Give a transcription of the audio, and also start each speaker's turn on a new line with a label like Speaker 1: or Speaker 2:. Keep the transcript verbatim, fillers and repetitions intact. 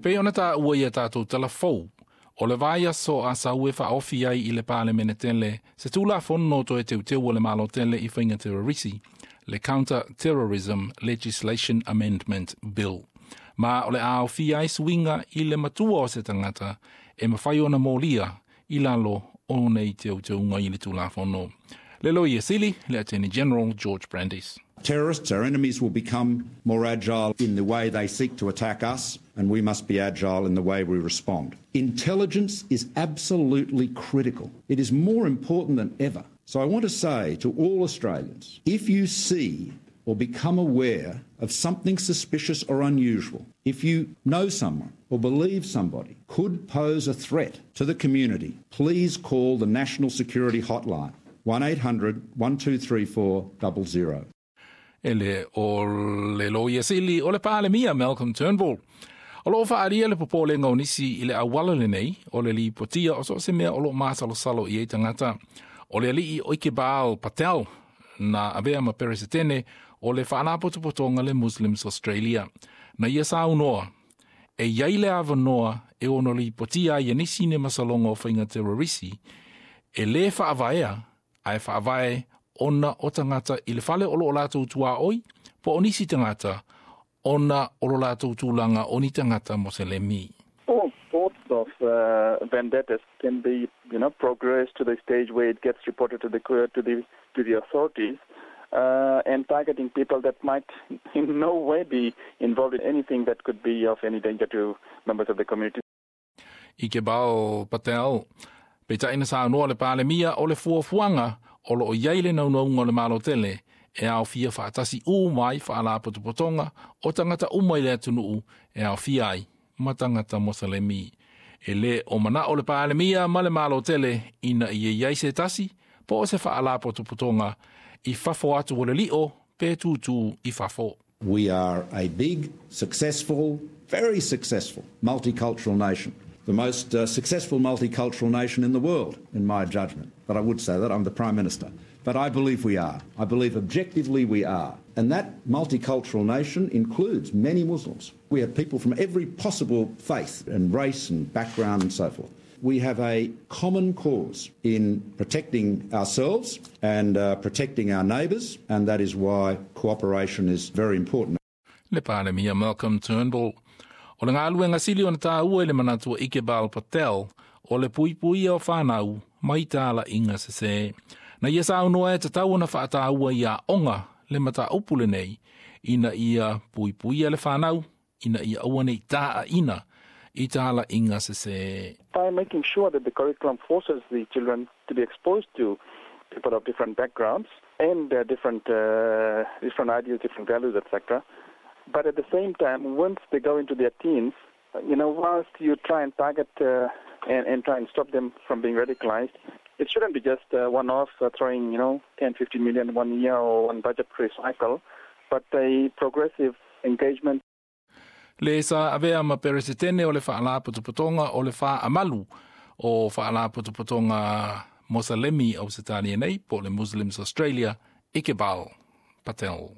Speaker 1: Pei ona taua ia tatou tala fou, o le vaiaso a sau e faaofi ai i le Palemene tele se Tulafono Toe Teuteu o le Malo tele i faiga terrorisi, le Counter Terrorism Legislation Amendment Bill. Ma o le a aofia ai suiga i le matua o se tagata e mafai ona molia i lalo o nei teuteuga i le Tulafono. Le Loia Sili, le Attorney General George Brandis.
Speaker 2: Terrorists, our enemies, will become more agile in the way they seek to attack us, and we must be agile in the way we respond. Intelligence is absolutely critical. It is more important than ever. So I want to say to all Australians, if you see or become aware of something suspicious or unusual, if you know someone or believe somebody could pose a threat to the community, please call the National Security Hotline, one eight hundred one two three four zero zero.
Speaker 1: E le o le Loia Sili o le Palemia Malcolm Turnbull. O loo faaalia le popolega o nisi i le auala lenei o le lipotia o so o se mea o loo masalosalo i ai tagata. O le alii o Iqbal Patel na avea ma peresetene o le Faalapotopotoga le Muslims Australia. Na ia saunoa, e iai le avanoa e ono lipotia ai e nisi ni masaloga o faiga terrorisi e lē faavaea ae faavae ona o tagata i le fale o loo latou tuaoi po o nisi tagata ona o lo latou tulaga o ni tagata Moselemi.
Speaker 3: All sorts of uh, vendettas can be, you know, progressed to the stage where it gets reported to the to the to the authorities, uh, and targeting people that might in no way be involved in anything that could be of any danger to members of the community.
Speaker 1: Iqbal Patel, peitai na saunoa le Palemia o le fuafuaga o loo iai le naunauga o le Malo tele e aofia faatasi uma ai faalapotopotoga o tagata uma i le atunuu e aofia ai ma tagata Moselemi. E lē o manao le Palemia ma le Malo tele ina ia iai se tasi po o se faalapotopotoga i fafo atu o le lio pe tutū i fafo.
Speaker 2: We are a big, successful, very successful multicultural nation. The most uh, successful multicultural nation in the world, in my judgment. But I would say that I'm the Prime Minister. But I believe we are. I believe objectively we are. And that multicultural nation includes many Muslims. We have people from every possible faith and race and background and so forth. We have a common cause in protecting ourselves and uh, protecting our neighbours, and that is why cooperation is very important.
Speaker 1: Le Palemia Malcolm Turnbull. O le galuega sili ona taua i le manatu o Iqbal Patel o le puipuia o fanau mai talaiga sesē. Na ia saunoa e tatau ona faataua i aoga le mataupu lenei ina ia puipuia le fanau ina ia aua nei taina i talaiga sesē.
Speaker 3: By making sure that the curriculum forces the children to be exposed to people of different backgrounds and uh, different uh, different ideas, different values, et cetera. But at the same time, once they go into their teens, you know, whilst you try and target uh, and, and try and stop them from being radicalized, it shouldn't be just uh, one-off uh, throwing, you know, ten, fifteen million one year or one budgetary cycle, but a progressive engagement.
Speaker 1: Le sa avea ma peresetene o le Faalapotopotoga o le Faamalu o Faalapotopotoga Moselemi Ausetalia nei po le Muslims Australia, Iqbal Patel.